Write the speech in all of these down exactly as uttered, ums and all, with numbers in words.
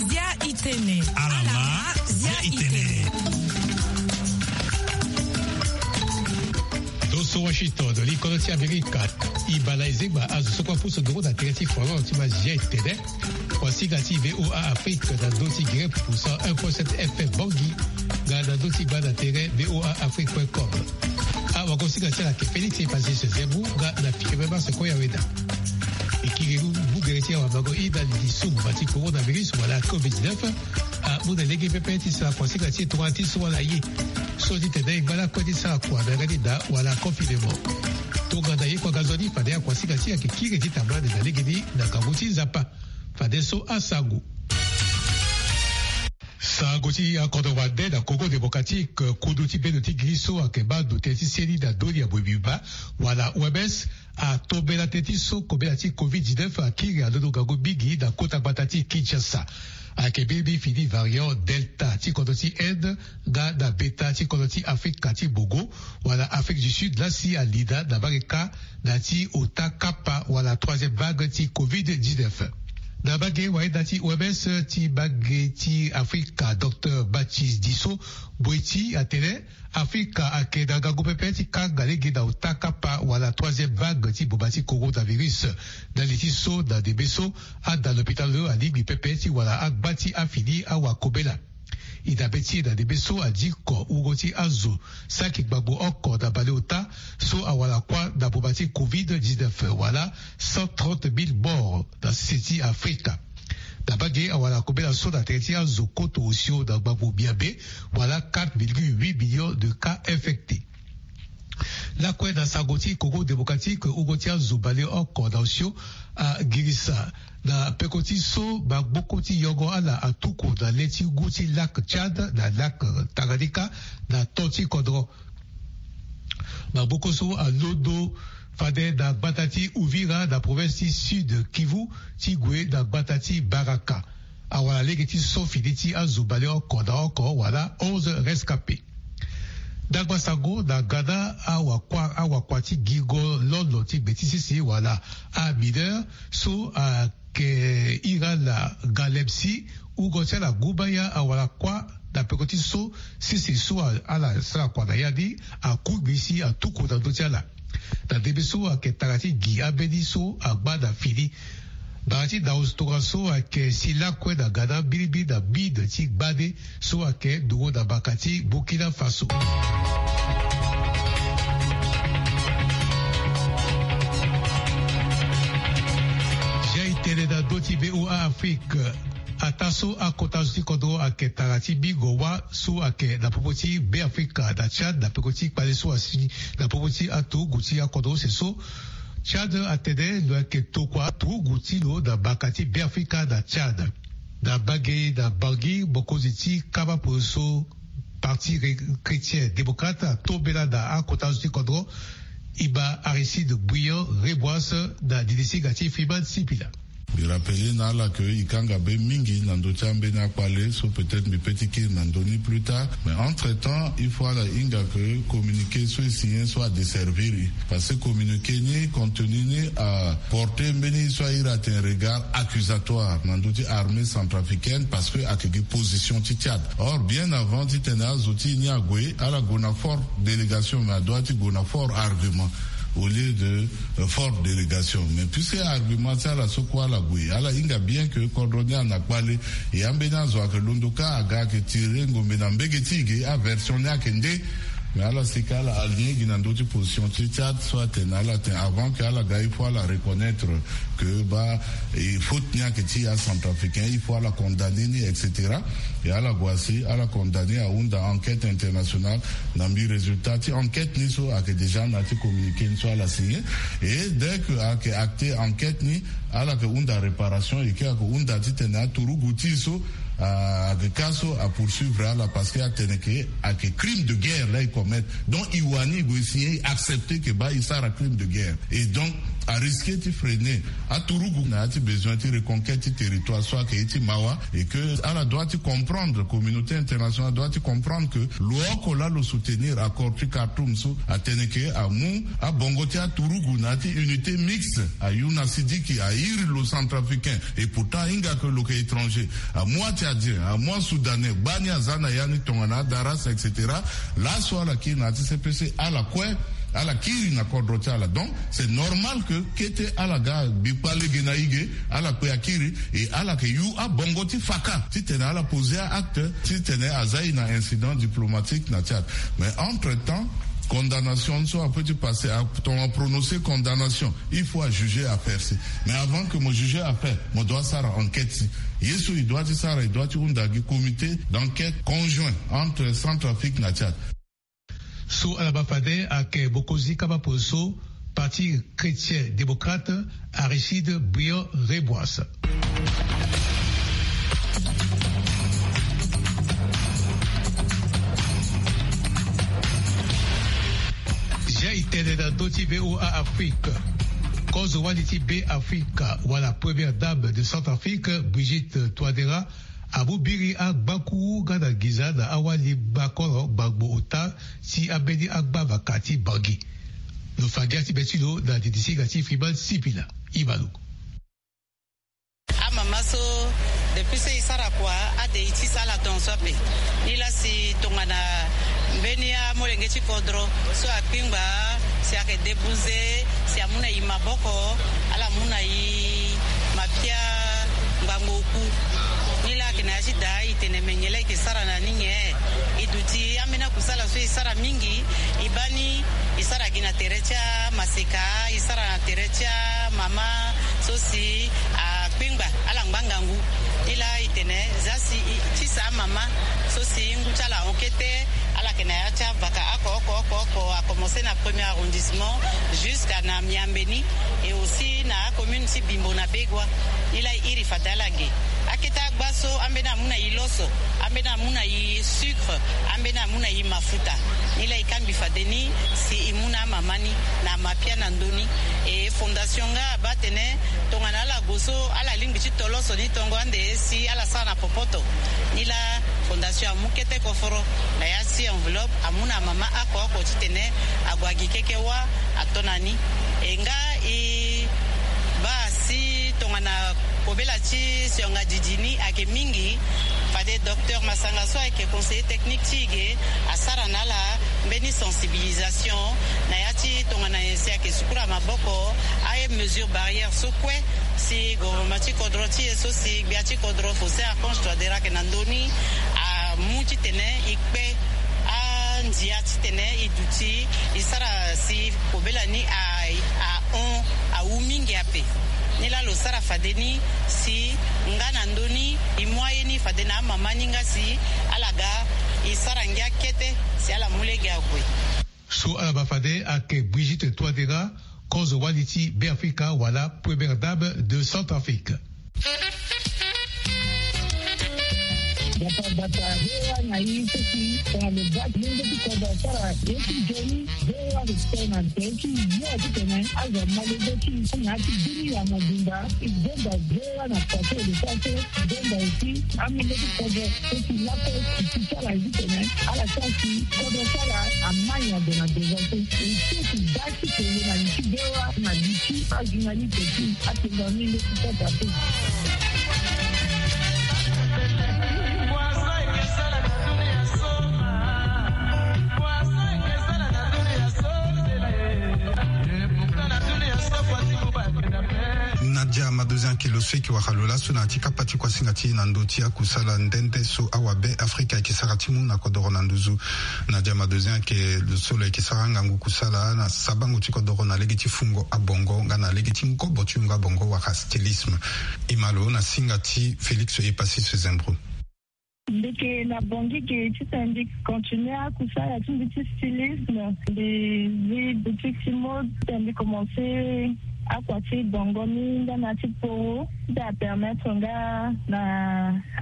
Zia itene. Alama, zia itene. Doso Washington, li kono ti Amerika. I bala ezengba azo so kue apusu nduru na tere ti Florent ti ma zia itene. Kuasinga ti VOA Afrique na ndö ti Grep pour cent un point sept F M Bangui, nga na ndö ti gba na tere VOA Afrique point com. Awagosinga ti ala ayeke Félix Epasis Zembu, nga na fike même ase kue ya weda. E kiri mu gere ti awamango i na li ti so boma ti coronavirus wala covid dix-neuf amu na lege pepe ti sara kuasinga ti e tongana ti so ala ye. So ti tene e ngba lakue ti sara kua na yanga ti da wala confinement. Tongana ye kue aga nzoni fade akuasinga ti e ayeke kiri ti tambula ande na legeni na ngangu ti Nzapa. Fadeso asango. Sango ti akodro wande na Congo Démocratique, kudu ti bendo ti giri so ayeke baa ndo tënë ti seni na ndoni ya Boebiba wala O M S, atombela tënë ti so kobela ti covid dix-neuf akiri alondo ngangu mingi na kota gbata ti Kinshasa. Ayeke mbirimbiri fini variant Delta ti kodro ti Inde nga na Beta ti kodro ti Afrika ti Bongo wala Afrique du Sud laa si alida na mbage kâ na ti ota kapa wala troisième vague ti covid dix-neuf. Na mbage wayenda ti O M S ti mbage ti Afrika, docteur Mathis Diso Boeti atene Afrika ayeke na ngangu pepe ti kanga lege na ota kapa wala troisième vague ti boma ti coronavirus. Na li ti so na ndembe so ada lopitalo alingbi pepe ti wara agba ti afini awakobela. E dabe ti e na ndembe so adiko wungo ti azo saki gbagbo oko na baleota so awara kuâ na boma ti covid dix-neuf wala cent trente mille morts na sese ti Afrika. Na mbage awara kobela so na tere ti azo koto osio na gbagbo miabe wala quatre virgule huit millions de cas infectés. Lakue na sango ti Congo Démocratique, wungo ti azo baleoko na osio agirisa na peko ti so maboko ti yongo ala atuku na le ti ngu ti lac Tchad na lac Tanganyika na to ti kodro. Maboko so alondo fade na gbata ti Uvira na province ti Sud Kivu ti gue na gbata ti Baraka. Awara lege ti so fini ti azo baleoko na oko wala onze rescapés. Dagba sango na gana awakua, awakua ti gingo lolo ti gbe ti sese wala amineur so ayeke ira na galemsi, wungo ti ala gumbaya awara kuâ na peko ti so sese so a, ala sara kua na ya ni akungbi si atuku na ndö ti ala. Na ndembe so ayeke tara ti gi ambeni so agba na fini. Bara ti dao tongaso ayeke si lakue na gana mbirimbiri na mine ti gbande so ayeke nduru na mbaka ti Burkina Faso. Zia e tene na ndö ti VOA Afrique. Ataa so akota zo ti kodro ayeke tara ti bingo wâ so ayeke na popo ti Beafrika na Tchad na peko ti kpale so asi na popo ti aturugu ti akodro use so. Tchad atene lo yeke tokua aturugu ti lo na mbaka ti Beafrika na Tchad. Na mbage na Bangui, mokonzi ti kama poroso Parti Ré-, Chrétien Démocrate atombela na akota zo ti kodro. Iba Aristide Bouillon Reboise na dilisinga ti Freeman Sipila. Mbi rappele na ala ke e kanga be mingi na ndö ti ambeni akpale so, peut-être mbi peut ti kiri na ndö ni plus tard, mais entre temps il faut ala hinga ke communiqué so e signé so adesservir e. Parce que communiqué ni contenu ni aporté mbeni so a iri atene regard accusatoire na ndö ti armée centrafricaine, parce que ayeke gi position ti Tchad. Or bien avant titene azo ti e ni ague, ala gue na forte délégation, mais adoit ti gue na fort argument au lieu de, euh, forte délégation. Mais puisque argument ti ala so kue ala gue, ala hinga bien ke kodro ni ana kpale. E ambeni azo ayeke londo kâ aga ayeke tire ngombe na mbege ti e ge, aversion ni ayeke nde. Mais ala sika ala aligné gi na ndö ti position ti Tchad so atene ala tene avant ke ala ga il faut ala reconnaître ke baa, e faute ni ayeke ti acentrafricain, il faut ala condamné ni, et cetera. E ala gue asi ala condamné, ahunda enquête internationale. Na mbi résultat ti enquête ni so ayeke déjà na ya ti communiqué ni so ala signé. Et dès que ayeke acté enquête ni, ala yeke hunda réparation, e ke ayeke hunda titene aturugu ti e so, ah, ayeke kâ so apoursuivre ala, parce que atene ke ayeke crime de guerre la e commettre. Donc e wani e gue e signé, e accepté ke baa e sara crime de guerre. Et donc Arisquer ti freiner aturugu na ya ti besoin ti reconquête ti territoire so ayeke ye ti mawa. Et que ala doit ti comprendre, communauté internationale doit ti comprendre que lo oko laa lo soutenir accord ti Khartoum so, atene ke amu abongo ti aturugu na ya ti unité mixte, ayu na sidiki, airi lo centrafricain. Et pourtant ahinga ke lo yeke étranger, amu atchadien, amu asoudanais, gbani aza na ya ni tongana adarasa, et cetera. Laso ala kiri na ya ti C P C, ala kue, ala kiri na kodro ti ala. Donc c'est normal que kete ala ga gbikpa lege na ige, ala kpe akiri. Et ala yeke yu abongo ti faka titene ala poser acte titene aza ye na incident diplomatique na Tchad. Mais entre-temps, condamnation so ape ti passer, tongana prononcer condamnation, il faut ajuger affaire si. Mais avant que mo juger affaire, mo doit sara enquête si. Ye so e doit ti sara, e doit ti hunda gi comité d'enquête conjoint entre Centrafrique na Tchad. So ala baa fade ayeke mokonzi kapa polo so Parti Chrétien Démocrate, Aristide Briand Réboise. Zia e tene na ndö ti V O A Afrique. Kozo wali ti Be Afrika wala première dame de Centrafrique, Brigitte Touadéra, amu biri agbakuru nga na nginza na awali gbakoro gbangbo ota ti ambeni agbavaka ti Bangui. Lo fa ngia ti be ti lo na didi singa ti Freeman Sipila. Imalo. Amama so, depuis so e sara kua, ade e tisa ala tongaso ape. Nilaa si tongana mbeni amolenge ti kodro so akpingba, si ayeke débouze, si amu na e maboko, ala mu na e mapia ngbangbo oku. Nilaa ayeke na ya ti daa e tene me nyen laa e yeke sara na ni nyen. E duti ambeni akusala so e sara mingi. E baa ni e sara gi na tere ti amaseka, e sara na tere ti amama so si akpengba ala ngba ngangu. Nilaa e tene za si e tisa amama so si ngu ti ala ahon kete, ala yeke na ya ti avaka oko oko oko oko, a commencer na premier arrondissement jusqu'à na miambe ni, et aussi na acommune ti Bimbo na Begoua. Nilaa e iri fade ala ge. Akete agba so, ambeni amu na e loso, ambeni amu na e sucre, ambeni amu na e mafuta. Nilaa e kangbi fade ni si e mu na amama ni na mapia na ndö ni. E fondation nga abaa atene tongana ala gue so ala lingbi ti to loso ni tongo ande si ala sara na popoto. Nilaa fondation amu kete koforo na ya ti enveloppe, amu na amama oko oko titene ague agi keke wâ ato na ni. E nga e baa si tongana kobela ti sionga didi ni ayeke mingi, fade docteur Masanga so ayeke conseiller technique ti e ge asara na ala mbeni sensibilisation na ya ti tongana nyen si ayeke sukula maboko, amesure barrière so kue si gouvernement ti kodro ti e so si gbia ti kodro Faustin Archange Touadéra ayeke na ndö ni amu titene e kpe andia titene e duti e sara si kobela ni a, ahon awu mingi ape. Nilaa lo sara fade ni si nga na ndö ni e mu aye ni fade na amama ni nga si ala ga e sara ngia kete si ala mu lege ague. So ala baa fade ayeke Brigitte Touadéra, kozo wali ti Beafrika wala première dame de Centrafrique. Bata bata, V O A na i seki tongana lo baa ti lenge ti kodro asara ye ti nzoni, V O A lo tene na nze ti yo titene azo malege ti na ya ti bini ya mobimba. E demba V O A na kua so e lo sara so, e demba aussi amolenge ti kodro so si lakue e si ti ala ye titene ala sara si kodro ti ala amai na gue na devant so. E so si baa ti kele na li ti V O A na li ti ajournaliste ti atenda ni nde ti kota te. Nadia Madozin ake lo so eke wara lo laso na ya ti kapa ti kuasinga ti e na ndö ti akusala nde nde so awabe Afrika eke sara ti mu na kodoro na nduzu. Nadia Madozin ake lo so lo eke sara ngangu kusala na sabango ti kodoro na lege ti fungo abongo nga na lege ti ngobo ti yungo abongo wala stylisme. E ma lo na singa ti Félix Epasis Zembro. Mbi yeke na Bangui ge titene mbi continuer akusala ti mbi ti stylisme. Mbi zi boutique ti mode titene mbi commencer akua ti bongo ni nga na ti poro ti apermettre nga na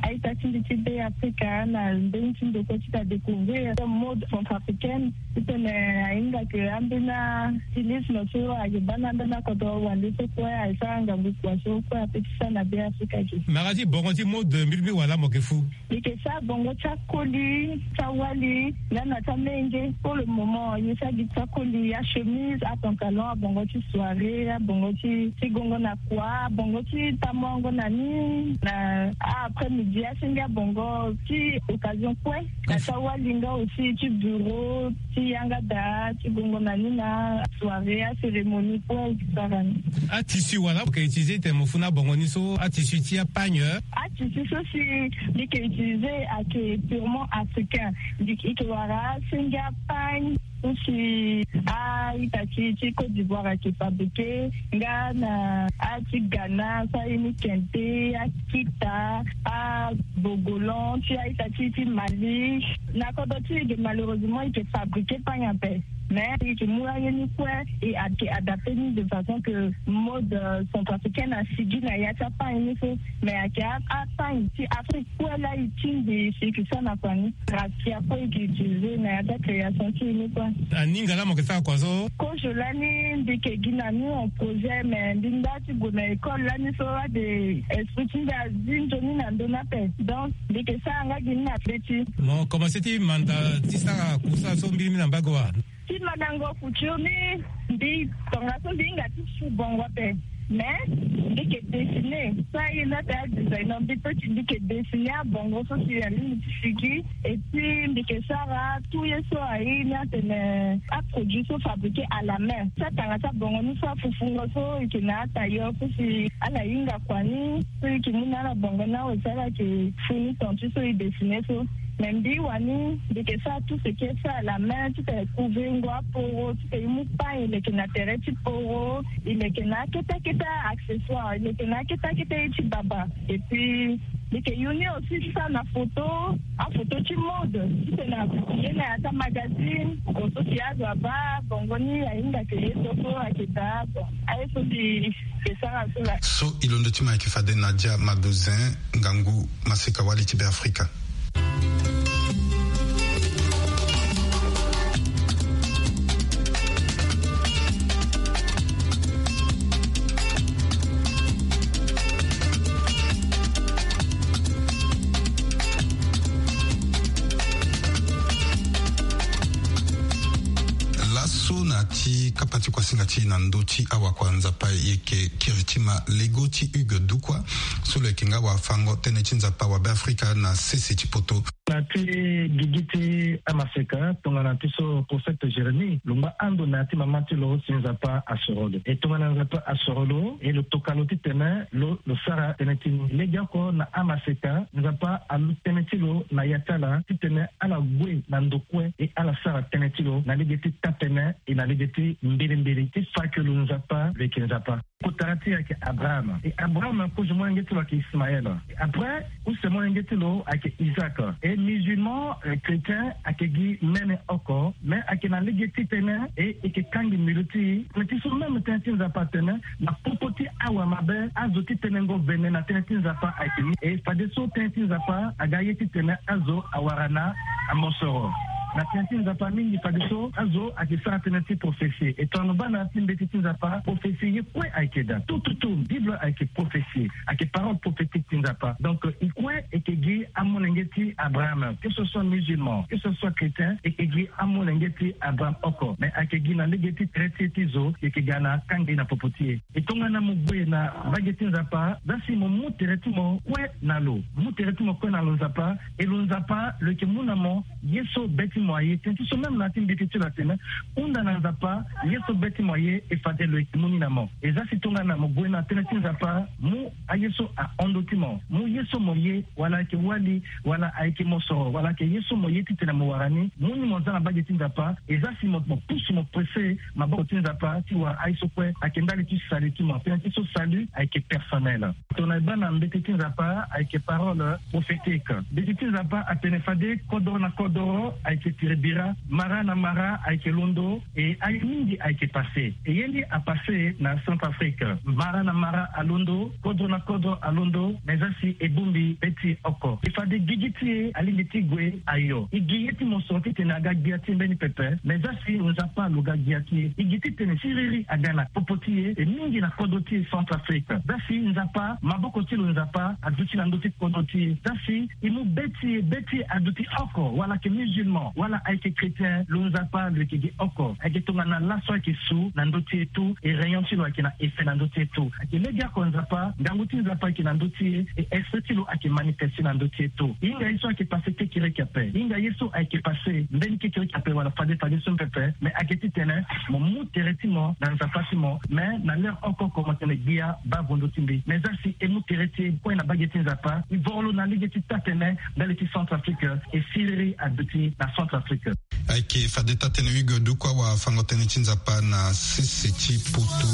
a-ita Ti mbi ti be Afrika na mbeni ti ndokua ti ta découvrir mode centrafricaine. Titene ahinga ke ambeni stylisme so ayeke baa na ambeni akodro wande so kue ayeke sara ngangu kua so kue ape ti sara na be Afrika ge. Mara ti bongo ti mode mbilimbili wala mo yeke fu? Mbi yeke sara bongo ti akoli, ti awali, nga na ti amenge. Pour le moment, ye sara gi ti akoli, achemise, apantalon, abongo ti soirée, abongo ti, ti gongo na kua, abongo ti tamuango na ni, na après midi, asenge abongo ti occasion kue. Na ti awali nga aussi ti bureau, ti yanga daa, ti gongo na ni na soirée, acérémonie kue, et cetera. Atissu wala mo yeke utiliser titene mo fu na abongo ni so, atissu ti apagne? Atissu so si mbi yeke utiliser ayeke purement africain. Mbi yeke wara asenge apagne so si a-ita ti, ti Côte d'Ivoire ayeke fabriqué, nga na a-ti Ghana so aye ni kente, akita, abogolan ti a-ita ti, ti Mali. Na kodro ti e ge, malheureusement, e yeke fabriqué pagne ape. Mais e yeke mu aye ni kue, e ayeke adapté ni de façon que mode, euh, centrafricaine asigi na ya ti apagne ni so. Mais ayeke a, apagne ti Afrique kue laa e tingbi e si e yeke sara na kua ni. Raffia kue e yeke utilisé na ya ti acréation ti e ni kue. Aninga laa mo yeke sara kua so? Kozo lani mbi yeke gi na ni en projet, mais mbi nda ti gue na école lani so ade esprit ti mbi azi nzoni na ndö ni ape. Donc mbi yeke sara nga gi ni na be ti. Mo commencé ti manda ti sara kusa so mbilimbili na mbage wa? Ti mandango couture ni, mbi tongaso mbi hinga ti su bongo ape. Mais mbi yeke dessiné. So aye ni atene adesigner, mbi peut ti, mbi yeke dessiné abongo so si alingbi ti sigi. Et puis mbi yeke sara tout ye so aye ni atene aproduit so fabriqué à la main. Ti atanga ti abongo ni so afufungo so e yeke na atailleur so si ala hinga kua ni, so e yeke mu na ala bongo ni awe si ala yeke fu ni ton ti so e dessiné so. Mais mbi wani mbi yeke sara tout ce qui est fait à la main, titene couvengo aporo, titene e mu pagne e leke na tere ti poro, e leke na akete akete accessoire, e leke na akete akete ye ti baba. Et puis mbi yeke yu ni aussi ti sara na photo, aphoto ti mode, titene a publié na ya ti amagazine, so si azo abaa bongo ni ahinga ke ye so so ayeke daa. Bon, aye so mbi yeke sara so laa. So e londo ti mo ayeke fade Nadia Madozin, ngangu maseka wali ti Be Afrika. Laso na ya ti kapa ti kuasinga ti e na ndö ti awakua Nzapa, e yeke kiri ti ma lego ti Hugues Dukwa, so lo yeke nga wafango tënë ti Nzapa wa Be Afrika na sese ti poto. Na ti gigi ti amaseka, tongana ti so prophète Jérémie lo ngba ando na ya ti mama ti lo si Nzapa asoro lo. E tongana Nzapa asoro lo, e lo toka lo titene lo, lo sara tënë ti ni. Legeoko na amaseka, Nzapa alu tënë ti lo na ya ti ala titene ala gue na ndo kue, e ala sara tënë ti lo na lege ti taa-tënë, e na lege ti mbilimbili, ti fa ke lo Nzapa, lo yeke Nzapa. Kotara ti e ayeke Abraham. E Abraham, kozo molenge ti lo ayeke Ismaël. E après, use molenge ti lo ayeke Isaac. E musulman, eh, chrétien, ayeke gi mene oko, mais ayeke na lege ti tënë, e, e yeke kangbi mbi lo ti e. Mais ti so même tënë ti Nzapa atene, na popo ti awa mabe, azo ti tenengo vene na tënë ti Nzapa ayeke ni. E fadeso tënë ti Nzapa aga ye titene azo awara na amosoro. Na tënë ti Nzapa mingi fadeso azo ayeke sara tënë ti prophétie. E tongana mo baa na ya ti mbeti ti Nzapa, prophétie ye kue ayeke daa. Tout, tout, tout. Bible ayeke prophétie. Ayeke parole prophétique ti Nzapa. Donc, e kue e yeke gi amolenge ti Abraham. Que ce soit musulman, que ce soit chrétien, e yeke gi amolenge ti Abraham oko. Mais ayeke gi na lege ti tere ti e ti zo, e yeke ga na kangbi na popo ti e. E tongana mo gue na mbage ti Nzapa, zia si mo mu tere ti mo kue na lo. Mu tere ti mo kue na lo Nzapa, e lo Nzapa lo yeke mu na mo ye so be ti mo aye. Tënë ti so même na ya ti mbeti ti lo atene, hunda na Nzapa ye so be ti mo aye, e fade lo yeke mu ni na mo. E zia si tongana mo gue na tënë ti Nzapa, mu aye so ahon ndö ti mo, mu ye so mo ye, wala ayeke wali, wala ayeke mosoro, wala ayeke ye so mo ye titene mo wara ni, mu ni mo zia na mbage ti Nzapa. E zia si mo, mo pusu mo pressé maboko ti Nzapa ti wara aye so kue ayeke ndali ti salut ti mo. Tënë ti so salut ayeke personnel. Tongana e baa na mbeti ti Nzapa ayeke parole prophétique. Mbeti ti Nzapa atene fade kodoro na kodoro ayeke Tiri bira, mara na mara ayeke londo, e aye mingi ayeke pase. E ye ni apase na Centrafrique. Mara na mara alondo, kodro na kodro alondo, me za si e bongbi be ti e oko. E fade gigi ti e alingbi ti gue ayo. E gi ye ti mosoro titene aga gbia ti e mbeni pepe, me za si Nzapa alo ga gbia ti e. E gi titene siriri aga na popo ti e, e mingi na kodro ti e Centrafrique. Za si Nzapa, maboko ti lo Nzapa aduti na ndö ti kodro ti e. Za si e mu be ti e, be ti e aduti oko, wala ayeke musulman, wala ayeke chrétien, lo Nzapa lo yeke gi oko. Ayeke tongana laso ayeke su na ndö ti e tout, e rayon ti lo ayeke na effet na ndö ti e tout. Ayeke legeoko Nzapa, ngangu ti Nzapa ayeke na ndö ti e, e esprit ti lo ayeke manifesté na ndö ti e tout. E hinga ye so ayeke pase kekereke ape. E hinga ye so ayeke pase mbeni kekereke ape wala fade fade so pepe, me ayeke titene mo mu tere ti mo na Nzapa ti mo, me na l'heure oko oko mo tene gbia baa vo ndö ti mbi. Me za si e mu tere ti e kue na mbage ti Nzapa, e voro lo na lege ti taa-tene ndali ti Centrafrique, e siriri aduti na Centrafrique. Ayeke fade taa-tene Hugues Dukwa, wafango-tënë ti Nzapa na sese ti Poto.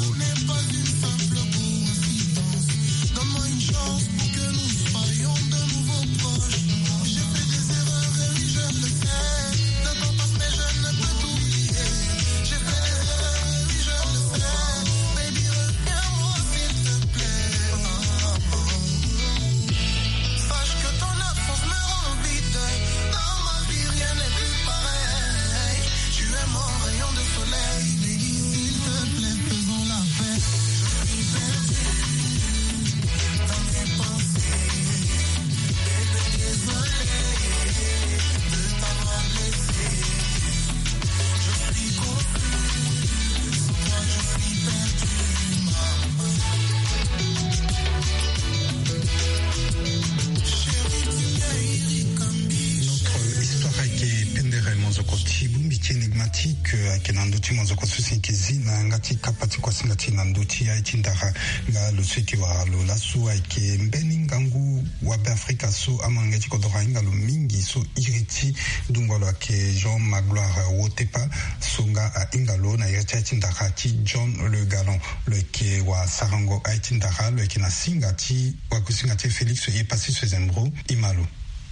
Notre histoire ayeke pendere mozoko ti bongbi ti énigmatique, ayeke na ndö ti mozoko so si ayeke zi na yanga ti kapa ti kuasinga ti e na ndö ti aye ti ndara. Nga lo so ayeke wara lo laso ayeke mbeni ngangu wabe Afrika so amolenge ti kodoro ahinga lo mingi so iri ti dungua lo ayeke Jean Magloire Wotepa, so nga ahinga lo na iri ti aye ti ndara ti John Le Gallon. Lo yeke wasarango aye ti ndara, lo yeke na singa ti wakusinga ti e Félix Epassi Sezembro. E ma lo.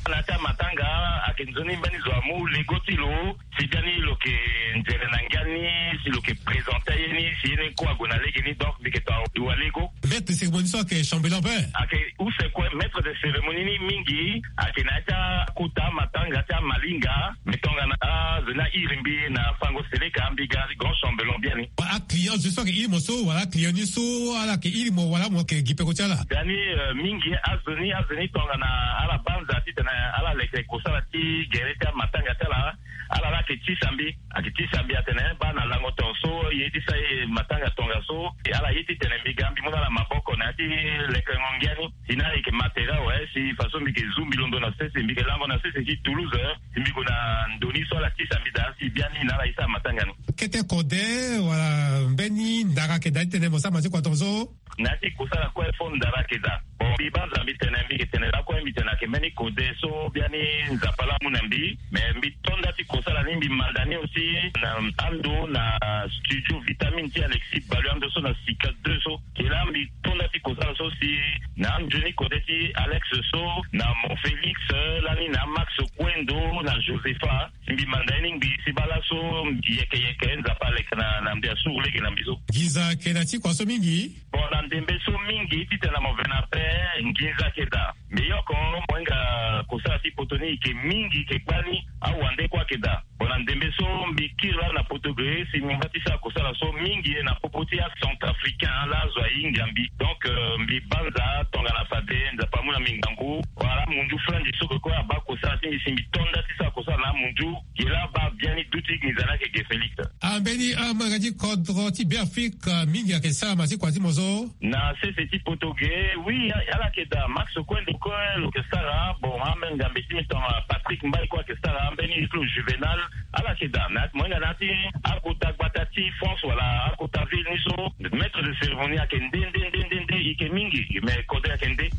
Na ya ti amatanga ayeke nzoni mbeni zo amu lego ti lo, si biani lo yeke nzere na ngia ni, si lo yeke présenter ye ni, si ye ni kue ague na lege ni, donc mbi yeke to awa lego. Maître de cérémonie so ayeke chambellan ape. Ayeke use kue maître de cérémonie ni mingi, ayeke na ya ti akota amatanga ti amalinga, me tongana azo ni airi mbi na fango seleka, mbi ga grand chambellan biani. Aclient zo so ayeke iri mo so, wala aclient ni so ala yeke iri mo, wala mo yeke gi peko ti ala? Dani, euh, mingi azo ni, azo ni tongana ala banza titene ala leke kosala ti gere ti amatanga ti ala, ala la ayeke tisa mbi, ayeke tisa mbi atene baa na lango tongaso, ye ti sa ye matanga tongaso, ala ye titene mbi ga mbi mu na ala maboko na ya ti lekengo ngia ni. Si na ala yeke matériel awe, si façon mbi yeke zu mbi londo na sese, mbi yeke lango na sese ti Toulouse, si mbi gue na ndo ni so ala tisa mbi daa, si biani na ala ye ti amatanga ni. Kete kode wala mbeni ndara ayeke daa ti tene mo sara ma ti kua tongaso? Na ya ti kosala kue fo ndara ayeke daa. Bon, mbi banza mbi tene, mbi yeke tene lakue, mbi tene ayeke mbeni kode so biani Nzapa laa amu na mbi. Me mbi to nda ti kosala ni, mbi manda ni aussi na ando na studio Vitamine ti Alexis Balu, ando so na Sika deux so. Ke laa mbi to nda ti kosala so si na anzoni kode ti Alex so, na Mon Félix, lani na Max Kwendo, na Josepha. Si mbi manda ye ni ngbii si baa laso yeke yeke Nzapa aleke na, na mbi asuru lege na mbi so. Nginza ayeke na ti kua so mingi. Bon, na ndembe so mingi titene mo ve na pe, nginza ayeke daa. Mbi yoko mo hinga kosala ti poto ni yeke mingi, yeke gbani, awande kue ayeke daa. Bon, na ndembe so mbi kiri laa na poto ge, si mbi ngba ti sara kosala so mingi na popo ti acentrafricain laa azo ahinga mbi. Donc, euh, mbi banza tongana fade Nzapa amu na mbi ngangu. Wala amunzu Franzi so ke kue abaa kosala ti mbi, si mbi to nda ti sara kosala na amunzu. Ge laa abaa biani duti nginza ni ayeke ge Félix. Ambeni amolenge ti kodro ti Beafrika mingi ayeke sara ma ti kua ti mo so? Na sese ti poto ge, oui, ala yeke daa. Max Kwendo kue lo yeke sara. Bon, ambeni ngambe ti mbi tongana Patrick Mbaye kue ayeke sara. Ambeni Islo Juvenal, ala yeke daa. Na ya ti mo hinga na ya ti akota gbata ti France wala akota ville ni so, maître de cérémonie ayeke nde, nde, nde, nde, nde, e yeke mingi, me kode ayeke nde.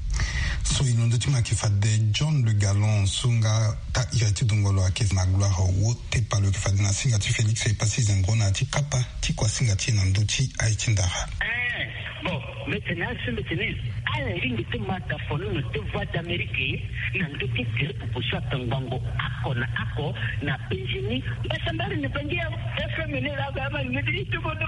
So e londo ti mo ayeke fade John Le Gallon so nga taa iri ti dongolo ayeke Magloire Wotepa, lo yeke fade na singa ti Félix Epassi Zembro na ya ti kapa ti kua singa ti e na ndö ti aye ti ndara. Eh, Bon, mete na asi mete ni. Ala lingbi ti mata fonono ti Voix d'Amérique na ndö ti gere proposition ata ngbangbo oko na oko na penze ni. Mbasambari na bangi ya F M ni la ba ma ni ti tubo dro.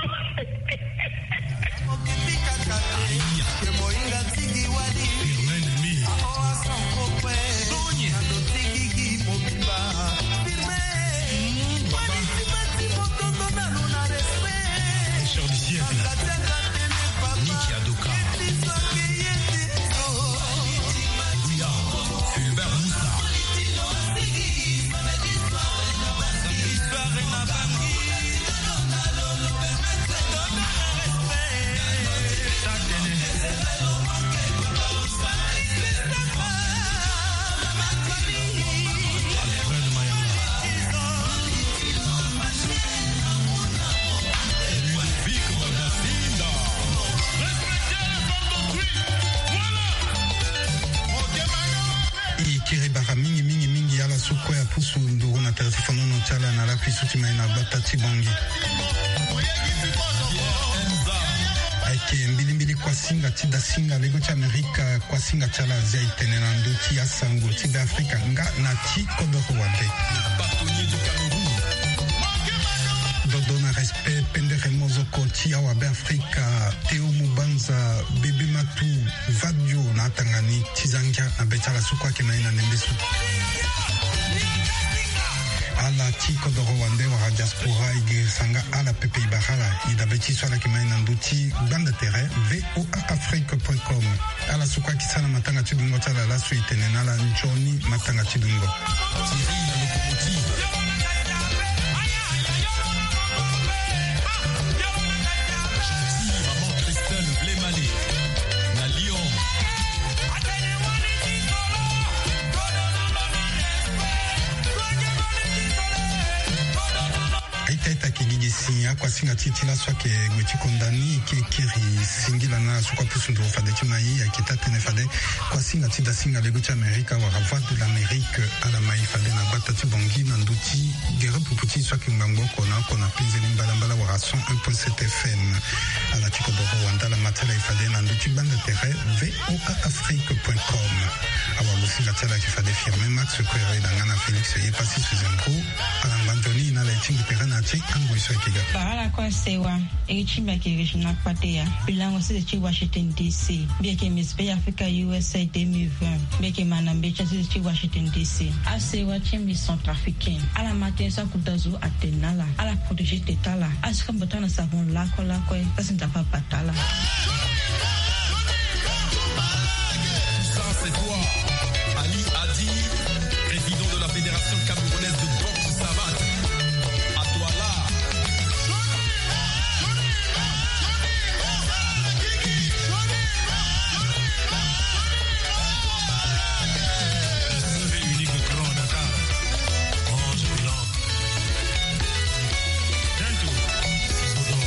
Richard du siècle. Niki Adoka. Bouya. Fulbert Moussa. E kiri bara mingi mingi mingi ala so kue apusu nduru na tere ti fonono ti ala na lakui so ti mai na gbata ti Bongi. Ayeke mbilimbili kuasinga ti dasinga lego ti Amerika, kuasinga ti ala azia e tene na ndö ti asango ti Beafrika nga na ti kodoro wande. Dodo na respect pendere mozoko ti awa Beafrika, Théo Mubanza, Bébé Matou, Vadio na atanga ni ti za ngia na be ti ala so kue ayeke na ye na ndembe so. Ala ti kodoro wande wala diaspora e girisa nga ala pepe e bara ala. E dabe ti so ala yeke ma ye na ndö ti gbanda tere V O A Afrique point com. Ala so kue ayeke sara matanga ti dungo ti ala laso e tene na ala nzoni matanga ti dungo. Thierry la locomotive. Maman Christelle Blemale na Lyon. Aita ita ke gigi si akuasinga ti e ti laso ayeke gue ti konda ni, e ke kiri singila na ala so kue apusu nduru fade ti mai. Ayeke taa-tënë fade kuasinga ti dasinga lego ti Amerika wala Voix de l'Amérique ala mai fade na gbata ti Bongi na ndö ti gere pupu ti e so ayeke ngbangbo oko na oko na penze ni mbalambala wala cent un point sept F M. Ala ti kodoro wande ala ma ti ala e fade na ndö ti gbanda tere V O A Afrique point com. Awagosinga ti ala ayeke fade Firmin Max Quereda nga na Félix Yepassis Zengo. Ala ngba nzoni na ala e tingbi tere na ya ti angoi so ayeke ga. Bara ala kue asewa. Iri ti mbi ayeke Regina Kpateya. Mbi lango sese ti Washington D C. Mbi yeke Miss Bay Africa U S A deux mille vingt. Mbi yeke ma na mbeti sese ti Washington D C. Asewa ti mbi centrafricain. Ala ma tënë so akuta zo atene na ala. Ala protéger tete ala. Ala sika mbote ala na savon lakue lakue. Sasi Nzapa abata ala. Ça, c'est toi, Ali Adi, président de la Fédération camerounaise de boxe savate. À toi là. Seul et unique grand Dakar. Orange blanc. Tento. Sodo.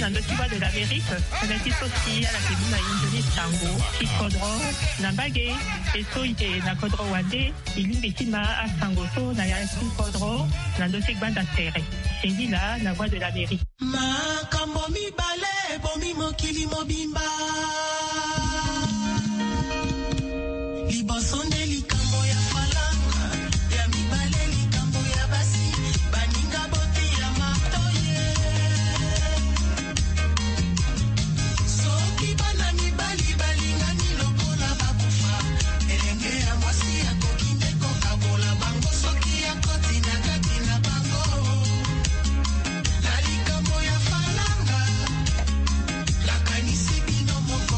Ndoki Voix de l'Amérique, tënë ti so si ala yeke mu na e nzoni sango ti kodro na mbage. E so e yeke na kodro wande, e lingbi ti ma asango so na ya ti kodro na ndö ti gbanda tere. Singila na Voix de l'Amérique. Makambo mibale ebomi mokili mobimba. Liboso nde likambo ya falanga, ya mibale likambo ya basi, baninga bote ya marto ye. Soki bana mibali balingani lokola bakufa, elenge ya mwasi akoki nde kokabola bango soki akoti na kati na bango. Na likambo ya falanga, nakanisi bino moko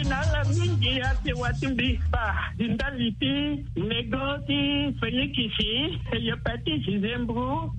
Na ala mingi ate watimbi pa di ndali ti nego ti fenikisi, hepatite, zembro,